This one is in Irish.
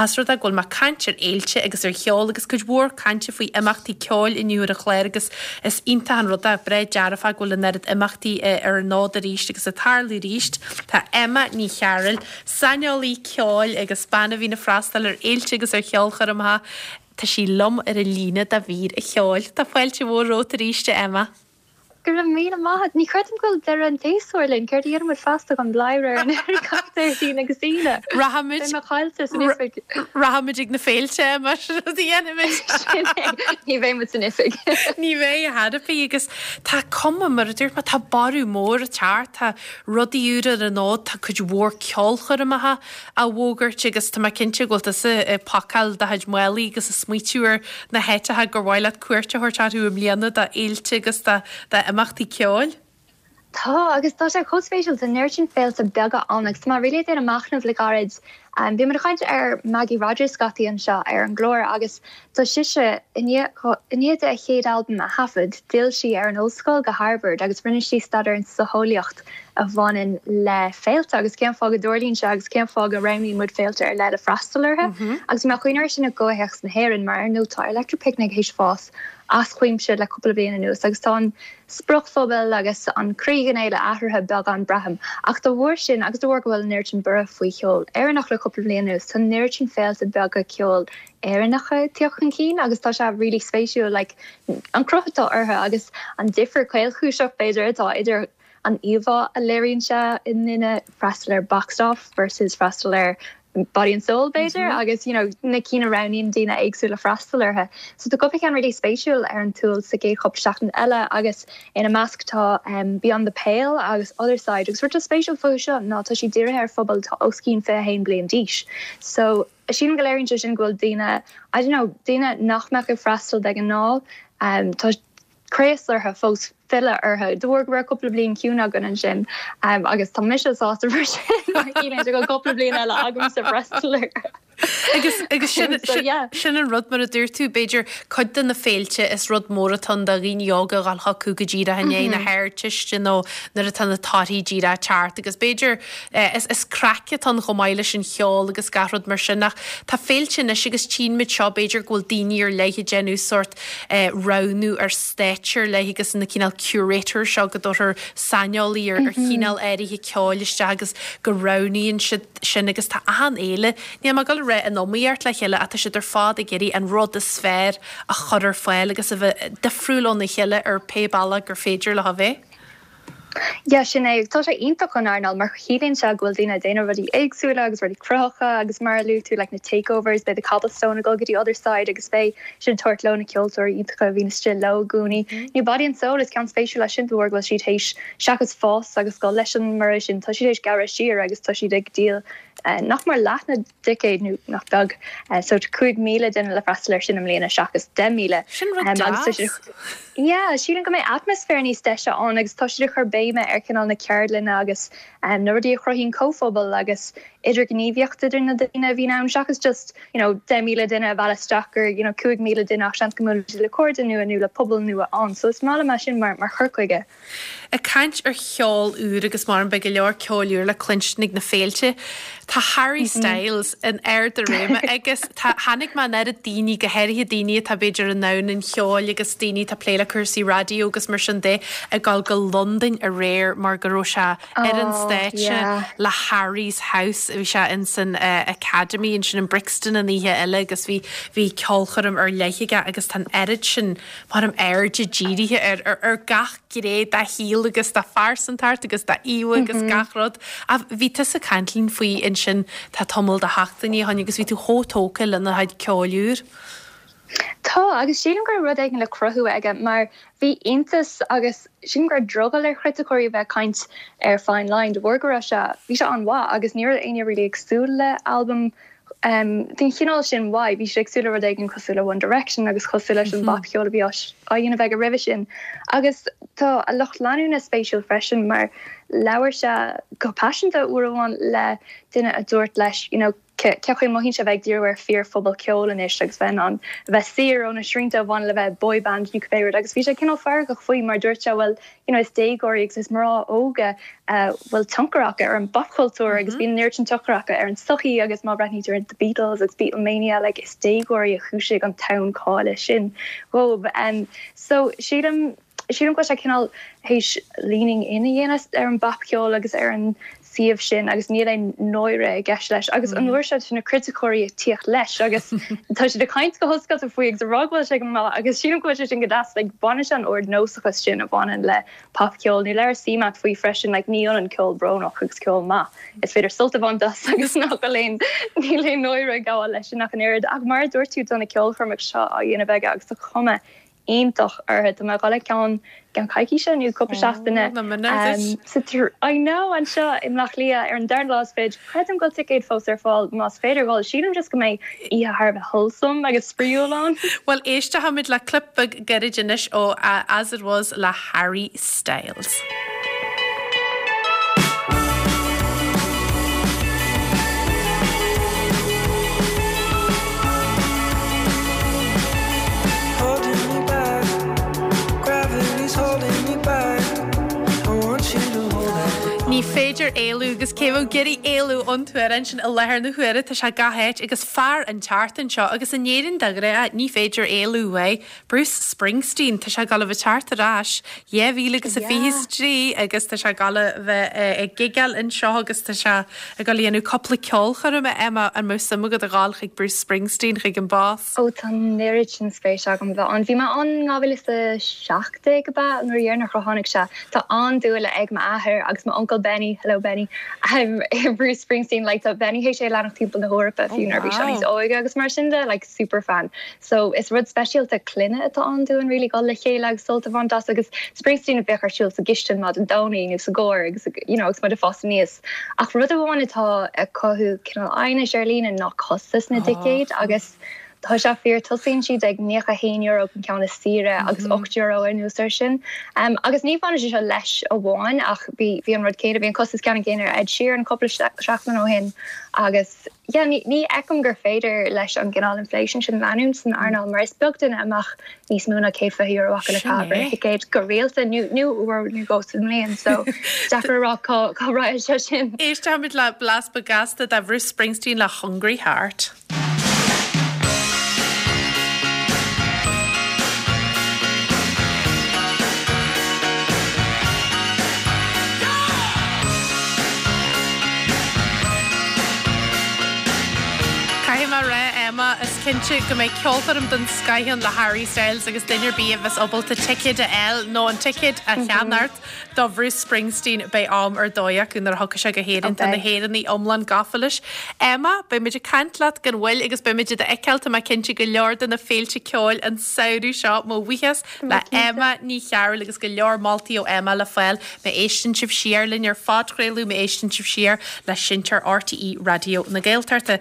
As rud é go bhfuil mé ag caint ar fhéilte agus ar cheol agus cuid mhór cainte faoi imeachtaí ceoil inniu ar an chlár agus is iontach an rud é, breá dearfach go bhfuil an oiread imeachtaí ar an fhód arís agus ag tarlú arís. Tá Emma Ní Chearúil, saineolaí ceoil agus bean a bhíonn ag freastal ar fhéilte agus ar cheolchoirmeacha, tá sí liom ar an líne do mhír an cheoil. Tá fáilte mhór romhat arís, a Emma. Go raibh míle maith agat. Ní chreidim go bhfuil deireadh an tséasúir linn. Céard a dhéanfaidh muid feasta chun bladhaire ar an aer gach Déardaoin agus Aoine? Rachaimid. Beidh mé caillte san oifig. Rachaimid ag na féilte, mar sin rud a dhéanfaimid. Sin é. Ní bheidh muid san oifig. Ní bheidh ar chor ar bith agus tá cuma, mar a dúirt mé, tá borradh mór ag teacht, tá rudaí úra ar an fhód, tá cuid mhór ceolchoirmeacha á bhfógairt agus tá mé cinnte go bhfuil tusa ag pacáil do chuid málaí agus ag smaoitiú ar na háiteacha gur mhaith leat cuairt a thabhairt orthu i mbliana do fhéilte agus d'imeachtaí ceoil. Tá, agus tá sé chomh spéisiúil, tá an oiread sin féilte beaga ann agus tá mé really ag déanamh machnamh le gairid. Bhí muid ag caint ar Maggie Rogers scaití anseo ar an gclár agus tá sise, i ndiaidh di a chéad albam a thaifead, d'fhill sí ar an ollscoil go Harvard agus rinne sí staidéar an tsocheolaíocht a bhaineann le féilte agus cén fáth go dtarlaíonn sé agus cén fáth go roghnaíonn muid féilte ar leith le freastal orthu. Agus bhí mé ag cuimhneamh air sin i gcomhthéacs na hÉireann mar ar ndóigh tá Electric Picnic théis fás as cuimse le cúpla bliain anuas agus tá an spriocphobal agus an croí den fhéile athraithe beagán braithim. Ach dá bharr sin agus de bharr go bhfuil an oiread sin borradh faoi cheol Éireannach le cúpla bliain anuas tá an oiread sin féilte beaga ceoil Éireannacha ag teacht chun cinn agus tá sé really spéisiúil like an cruth atá orthu agus an difear caolchúiseach b'fhéidir atá idir an íomhá a léiríonn sé i nduine freastal ar Boxed Off versus freastal ar Body and Soul b'fhéidir agus you know na cinn a roghnaíonn daoine éagsúla freastal orthu. So tá cúpla ceann really spéisiúil ar an tsiúl sa gcéad chúpla seachtain eile agus ina measc tá Beyond the Pale agus Otherside agus rud atá spéisiúil fúthu seo ná tá siad dírithe ar phobal atá os cionn 21 bliain d'aois. So sílim go léiríonn sé sin go bhfuil daoine I don't know daoine nach mbeadh ag freastal de ghnáth tá craos orthu fós filleadh orthu de bharr go raibh cúpla bliain ciúin againn ansin agus tá mise sásta mar sin mar ciallaíonn sé go bhfuil cúpla bliain eile agamsa freastal orthu. Agus agus sin So yeah. sin an rud mar a dúirt tú b'fhéidir cuid de na féilte is rud mór atá ann do dhaoine óga a dhul chucu go díreach i ndiaidh na hArdteiste nó nuair atá na torthaí díreach ag teacht agus b'fhéidir eh, is is craic atá ann chomh maith leis an cheol agus gach rud mar sin ach tá féilte anois agus tchíonn muid seo b'fhéidir go bhfuil daoine ar leith ag déanamh sórt roghnú ar stáitse ar leith agus na cineál curators seo go dtabharfar saineolaí ar ar chineál áirithe ceoil isteach agus go roghnaíonn siad sin agus tá achan fhéile, níl mé ag dul a rá in iomaíocht le chéile ach tá siad ar fad ag iarraidh an rud is fearr a chur ar fáil agus a bheith difriúil óna chéile ar pé bealach gur féidir leo a bheith. Yeah, sin é. Tá sé iontach don earnáil mar ciallaíonn sé go bhfuil daoine ag déanamh rudaí éagsúla agus rudaí cruthaitheacha agus mar a luaigh tú like na takeovers, beidh The Cobblestone ag dul go dtí Otherside agus beidh siad ag tabhairt leo na ceoltóirí iontacha a bhíonn istigh leo i gcónaí. Nó Body and Soul is ceann spéisiúil é sin de bharr go bhfuil siad théis seachas fás agus dul leis an mborradh sin tá siad théis gearradh siar agus tá siad ag díol nach mór leath na dticéad nó nach beag. So tá 5,000 duine le freastal air sin i mbliana seachas 10,000. Sin rud deas. Yeah, sílim go mbeidh atmaisféar níos deise ann agus tá siad ag cur béime ar chineál na ceardlanna agus na rudaí a chruthaíonn comhphobal agus idirghníomhaíocht idir na daoine a bhíonn ann seachas just you know 10,000 duine a mhealladh isteach gur you know 5,000 duine ach seans go mbuailfidh siad le cairde nua nó le pobal nua ann. So is maith liom é sin mar mar chur chuige. Ag caint ar cheol úr agus mar beidh go leor ceoil úr le cluinstin ag na féilte, tá Harry Styles in ard a réime agus tá, chonaic mé an oiread daoine, go háirithe daoine atá b'fhéidir i ndomhan an cheoil agus daoine atá ag plé le cúrsaí raidió agus mar sin de, ag dul go Londain aréir mar go raibh sé ar an stáitse le Harry's House, bhí sé in san Academy ansin in Brixton an oíche eile agus bhí, bhí ceolchoirm ar leith aige agus tá an oiread sin Mar airde dírithe ar ar gach gné dá shaol agus dá phearsantacht agus dá íomha agus gach rud. Ach bhí tusa ag caint linn faoi ansin tá tamall de sheachtainí ó shin agus bhí tú chomh tógtha lena chuid ceoil úr. Tá, agus sílim go raibh rud éigin le cruthú aige mar bhí iontas agus sílim go raibh drogall ar chriticeoirí a bheith ag caint ar Fine Line de bharr go raibh sé, bhí sé an-mhaith agus ní raibh éinne really ag súil le albam Den chineál sin uaidh, bhí siad ag súil le rud éigin cosúil le One Direction agus cosúil leis an bpopcheol a bhí á dhéanamh aige roimhe sin. Agus tá a lucht leanúna spéisiúil freisin mar labhair sé go paiseanta uair amháin le duine a dúirt leis, you know. Cén chaoi a mothaíonn sé bheith ag díriú ar fíorphobal ceoil anois agus bheith in ann a bheith saor ó na srianta a bhaineann le bheith boyband nó cibé rud agus bhí sé cineál feargach faoi mar dúirt sé bhuel you know is déagóirí agus is mná óga a bhfuil tionchar acu ar an bpopchultúr agus bíonn an oiread sin tionchar acu ar an tsochaí agus má bhreathnaítear ar The Beatles agus Beatlemania like is déagóirí a chúisigh an tonn cáile sin dhóibh. So sílim Sílim go bhfuil sé cineál théis leaning in a dhéanamh ar an bpopcheol agus ar an suíomh sin agus níl aon náire i gceist leis. Agus an uair seo tá na criticeoirí ag tíocht leis agus tá siad ag caint go hoscailte faoi agus ag rá go bhfuil sé go maith agus sílim go bhfuil sé sin go deas. Like baineann sé an ardnósachas sin a bhaineann le popcheol. Nó labhair CMAT faoi freisin like ní ionann ceol brónach agus ceol maith. Is féidir sult a bhaint as agus nach bhfuil aon níl aon náire ag gabháil leis sin ach an oiread. Ach mar a dúirt tú tá na ceolchoirmeacha seo á dhéanamh aige agus tá cuma iontach orthu. Tá mé ag dul ag ceann i gceann coicíse nó cúpla seachtaine sa I know anseo i mBleá Cliath ar an darna lá is fiche. Creidim go bhfuil ticéid fós ar fáil más féidir dhul. Sílim just go mbeidh oíche thar a bheith wholesome agus spraíúil ann. Bhuel éistfimid le clip beag gairid anois ó As It Was le Harry Styles. Ní féidir éalú agus cé bheadh ag iarraidh éalú ón t-amhrán sin i láthair na huaire, tá sé gach áit agus fear an tseachtain seo agus in Éirinn de ghnáth ní féidir éalú uaidh. Bruce Springsteen, tá sé ag dul a bheith ag teacht ar ais 2023 agus tá sé ag dul a bheith ag gigeáil anseo agus tá sé ag dul a dhéanamh cúpla ceolchoirm, Emma, an mbeadh suim agat a dhul chuig Bruce Springsteen chuig an Bás? Ó tá an oiread sin spéis agam bheith ann. Bhí mé ann in 2017 ab ea, an uair dheireanach a tháinig sé. Tá an-dúil ag m'athair agus m'uncail Benny, hello Benny, i Bruce Springsteen. Like tá Benny théis é a leanacht timpeall na hEorpa fiú nuair a bhí sé níos óige agus mar sin de, like super fan. So is rud speisialta clainne atá ann dúinn really dul le chéile agus sult a bhaint as agus Springsteen a bheadh ar siúl sa gcistin maidin Domhnaigh nó sa gcarr agus you know agus muid ag fás aníos. Ach rud amháin atá ag cothú cineál aighnis ar líne ná costas na dticéad agus tá sé fíor, tosaíonn siad ag €91 don ceann is saoire agus €8 anuas air sin. Agus ní bhaineann sé seo leis amháin ach bhí bhí an rud céanna, bhí an costas ceannann céanna ar Ed Sheeran cúpla seachtain ó shin agus yeah ní ní fheicim gur féidir leis an gcineál inflation sin leanúint san earnáil mar is beag duine a mbeadh níos mó ná €120 acu le caitheamh ar thicéad go rialta nó nó uair nó dhó sa mbliain so deacair a rá cá cá raghaidh sé sin. Éistfimid le blas beag gasta de Bhruce Springsteen le Hungry Heart. Caithfidh mé a rá, Emma, is cinnte go mbeidh ceolchoirm den scoith ann le Harry Styles agus duine ar bith a bheas ábalta ticéad a fháil nó an ticéad a cheannacht do Bhruce Springsteen beidh am ar dóigh acu nuair a thiocfaidh sé go hÉirinn. Tá na hÉireannaigh iomlán gafa leis. Emma, beidh muid ag caint leat gan mhoill agus beidh muid i do fheiceáil, tá mé cinnte, go leor de na féilte ceoil an samhradh seo. Mo bhuíochas le Emma Ní Chearúil agus go leor moltaí ó Emma le fáil má éisteann sibh siar linn ar phodchraoladh, má éisteann sibh siar le seinnteoir RTÉ Raidió na Gaeltachta.